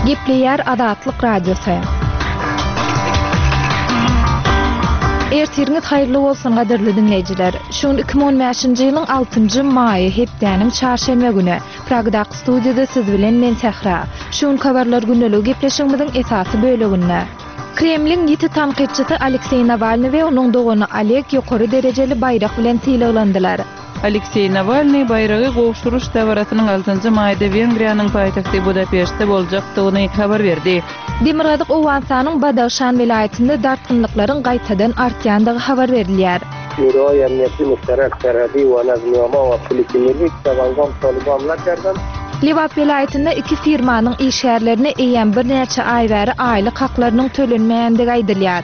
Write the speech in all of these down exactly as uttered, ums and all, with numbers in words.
Gepleýär Azatlyk Radiosy. Ertiriňiz haýyrly bolsun gadyrly diňleýjiler. Şu gün iki müň on bäşinji ýylyň altynjy maýy hepdäniň çarşenbe güni. Pragdaky studiýada siz bilen men Sähra. Şu gün habarlar gündeligi gepleşigimiziň esasy böleginde. Kremliň ýiti tankytçysy Alekseý Nawalny we onuň dogany Oleg ýokary derejeli baýrak bilen sylaglandylar. Alekseý Nawalny baýragy gowşuryş dabarasynyň altynjy maýda Wengriýanyň paýtagty Budapeştde boljakdygyny habar berdi. Demirgazyk Owganystanyň Badagşan welaýatynda dartgynlyklaryň gaýtadan artýandygy habar berilýär. Şuroý Emniýeti Muştarak Serhedi we Nazmiýama we Polisi Milli Tawangam Taliban nakerden. Lebap welaýatynda iki firmanyň işgärlerine eýýäm birnäçe aý bäri aýlyk haklarynyň tölenmeýändigi aýdylýar.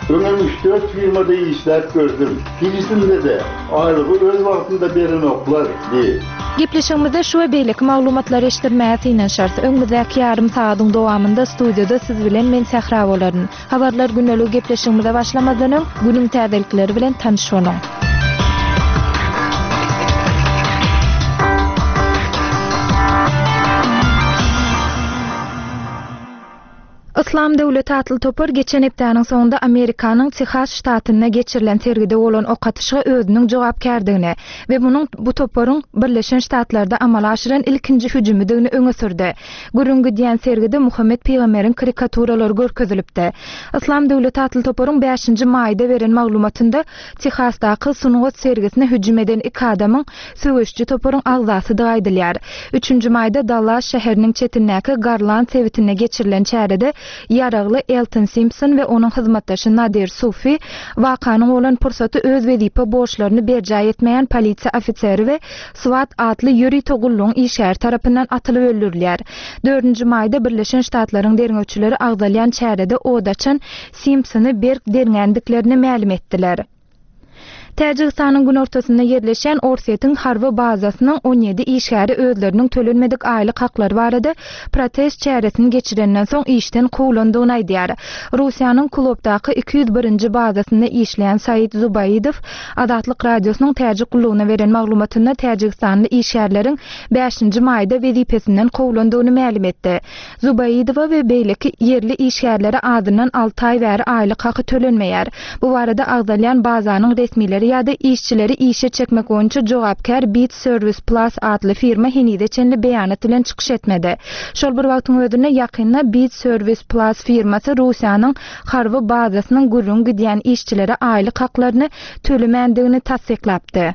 Öňem üç-dört firmada işläp gördüm. Hiçisinde-de aýlygy öz wagtynda berenoklar diýip. Gepleşigimizde şu we beýleki maglumatlary eşitdirmäge synanyşarys. Öňümizdäki ýarym sagadyň dowamynda studiýada siz bilen men Sähra bolaryn. Habarlar gündeligi gepleşigimize başlamazdan öň günüň täzelikleri bilen tanyş boluň. Islam döwleti atly topar geçen hepdäniň soňunda Amerikanyň Tehas ştatynda geçirilen sergide bolan ok atyşyga özüniň jogapkärdigini we munuň bu toparyň Birleşen Ştatlarda amala aşyran ilkinji hüjümidigini öňe sürdi. Gürrüň gidýän sergide Muhammet pygamberiň karikaturalary görkezilipdi. Islam döwleti atly toparyň bäşinji maýda beren maglumatynda Tehasdaky sungat sergisine hüjüm eden iki adamyň söweşçi toparyň agzasydygy aýdylýar. Üçünji maýda Dallas şäheriniň çetindäki Garland sebitinde geçirilen çärede ýaragly Elton Simpson we onuň hyzmatdaşy Nadir Sufi wakanyň bolan pursaty öz wezipe borçlaryny berjaý etmeýän polisiýa ofiseri we SWAT atly ýörite gullugyň işgäri tarapyndan atylyp öldürilýär. Dördünji maýda Birleşen Ştatlaryň derňewçileri agzalýan çärede od açan Simpsony berk derňändiklerini mälim etdiler. Täjigistanyň günortasynda ýerleşen Orsýetiň harby bazasynyň on ýedi işgäri özleriniň tölenmedik aýlyk haklary barada protest çäresini geçirenden soň işden kowlandygyny aýdýar. Russiýanyň Kulopdaky iki ýüz birinji bazasynda işleýän Said Zubaidow Azatlyk Radiosynyň Täjik gullugyna beren maglumatynda Täjigistanly işgärleriň bäşinji maýda wezipesinden kowlandygyny mälim etdi. Zubaidowa we beýleki ýerli işgärlere azyndan alty aý bäri aýlyk haky tölenmeýär. Bu barada agzalýan bazanyň resmileri ýa-da işçileri işe çekmek boýunça jogapkär Bit Service Plus atly firma henize çenli beýanat bilen çykyş etmedi. Şol bir wagtyň özünde ýakynda Bit Service Plus firmasy Russiýanyň harby bazasynyň gürrüň gidýän işçilere aýlyk haklaryny tölemändigini tassyklapdy.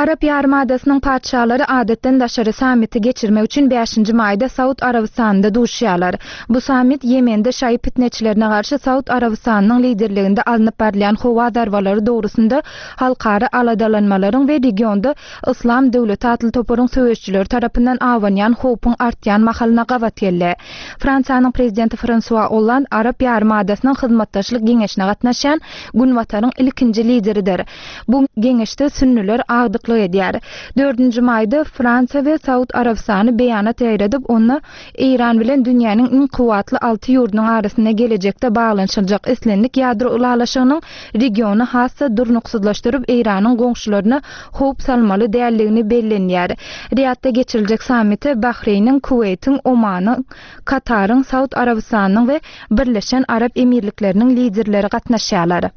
Arap ýarymadasynyň patyşalary adatdan daşary sammiti geçirmek üçin bäşinji maýda Saud Arabystanynda duşýarlar. Bu sammit Ýemende şaýy pitneçilerine garşy Saud Arabystanynyň liderliginde alnyp barylýan howa zarbalary dogrusynda halkara aladalanmalaryň we regionda Islam döwleti atly toparyň söweşçileri tarapyndan awanýan howpuň artýan mahalyna gabat geldi. Fransiýanyň prezidenti François Hollande Arap ýarymadasynyň hyzmatdaşlyk geňeşine gatnaşýan Günbataryň ilkinji lideridir. Bu geňeşde sünnüler agdyklyk edýär. Dördünji maýda Fransiýa we Saud Arabystany beýanat ýaýradyp, onda Eýran bilen dünýäniň iň kuwwatly alty ýurdunyň arasynda gelejekde baglanyşyljak islendik ýadro ylalaşygynyň regiony has-da durnuksyzlaşdyryp, Eýranyň goňşularyna howp salmaly däldigini bellenýär. Riýadda geçiriljek sammite Bahreýniň, Kuweýtiň, Omanyň, Kataryň, Saud Arabystanynyň we Birleşen Arap Emirlikleriniň liderleri gatnaşýarlar.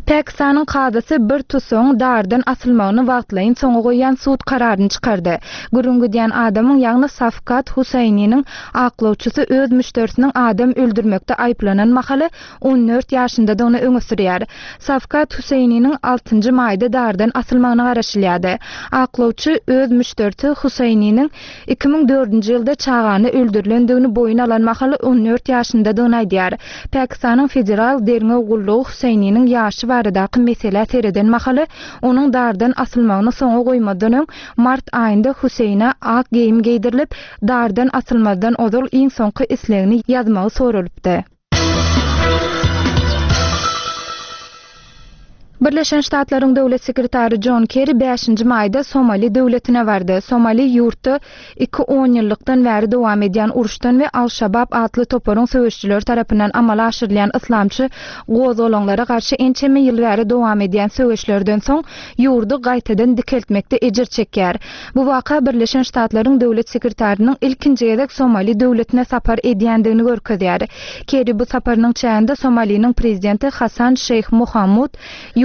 Pakistanyň kazasy bir tusagyň dardan asylmagyny wagtlaýyn soňa goýan sud kararyny çykardy. Gürrüň gidýän adamyň, ýagny Safkat Husaýniniň aklawçysy öz müşderisiniň adam öldürmekde aýyplanan mahaly on dört ýaşyndadygyny öňe sürýär. Safkat Husaýniniň altynjy maýda dardan asylmagyna garaşylýardy. Aklawçy öz müşderisi Husaýniniň iki müň dördünji ýylda çagany öldürilendigini boýun alan mahaly on dört ýaşyndadygyny aýdýar. Pakistanyň federal derňew gullugy Husaýniniň ýaşy baradaky meselä sereden mahaly onuň dardan asylmagyny soňa goýmadan öň mart aýynda Huseýne ak geýim geýdirilip, dardan asylmazdan ozal iň soňky islegini ýazmagy soralypdy. Birleşen Ştatlaryň Döwlet sekretary Jon Kerri bäşinji maýda Somali döwletine bardy. Somali ýurtda iki onýyllykdan bäri dowam edýän uruşdan we Al-Şabab atly toparyň söweşijileri tarapyndan amala aşyrylýan yslamçy gozgalaňlara garşy ençeme ýyl bäri dowam edýän söweşlerden soň ýurdy gaýtadan dikeltmekde ejir çekýär. Bu waka Birleşen Ştatlaryň Döwlet sekretarynyň ilkinji gezek Somali döwletine sapar edýändigini görkezýär. Kerri bu saparynyň çäginde Somaliniň prezidenti Hasan Şeýh Mohamud,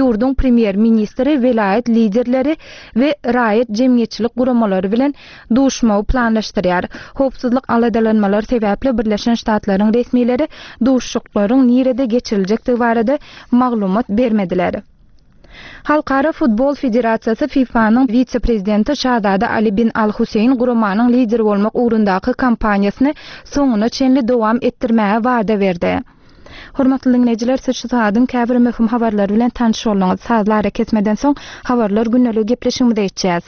ýurduň premýer-ministri, welaýat liderleri we raýat jemgyýetçilik guramalary bilen duşmagy planlaşdyrýar. Howpsuzlyk aladalanmalary sebäpli Birleşen Ştatlaryň resmileri duşuşyklaryň nirede geçiriljekdigi barada maglumat bermediler. Halkara futbol federasiýasy FIFA-nyň wise-prezidenti Şazada Ali bin Al-Huseýn guramanyň lideri bolmak ugrundaky kampaniýasyny soňuna çenli dowam etdirmäge wada berdi. Hormatly diňleýjiler, siz şu sagadyň käbir möhüm habarlary bilen tanyş bolduňyz. Sazly arakesmeden soň habarlar gündeligi gepleşigimize geçýäs.